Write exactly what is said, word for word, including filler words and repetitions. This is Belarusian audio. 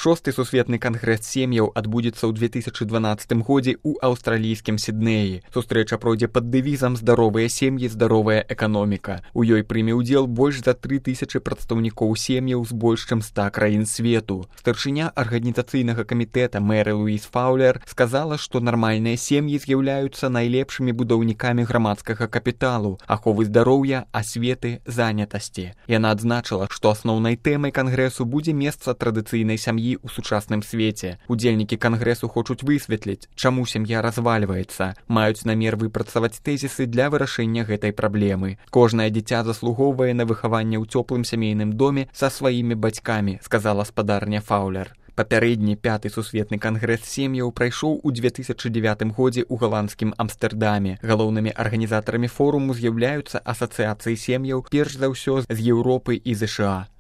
Шосты сусветны кангрэс сем'яў адбудзецца ў две тысячы дванаццатым годзе ў аўстралійскім Сіднеі. Сустрэча пройдзе пад дэвізам «Здаровыя сем'і, здаровая эканоміка». У ёй прыме ўдзел больш за тры тысячы прадстаўнікоў сем'яў з больш чым ста краін свету. Старшыня арганізацыйнага камітэта Мэры Луіз Фаўлер сказала, што нармальныя сем'і з'яўляюцца найлепшымі будаўнікамі грамадскага капіталу, аховы здароўя, асветы, занятасці. Яна адзначыла, што асноўнай тэмай кангрэсу будзе месца традыцыйнай сям'і ў сучасным свеце. Удзельнікі кангрэсу хочуць высветліць, чаму сям'я развальваецца, маюць намер выпрацаваць тэзісы для вырашэння гэтай праблемы. Кожнае дзіця заслугоўвае на выхаванне ў цёплым сямейным доме са сваімі бацькамі, сказала спадарня Фаўлер. Папярэдні пяты сусветны кангрэс сем'яў прайшоў у две тысячы дзевятым годзе ў галандскім Амстэрдаме. Галоўнымі арганізатарамі форуму з'яўляюцца асацыяцыі сем'яў, перш за ўсё з Еўропы і ЗША.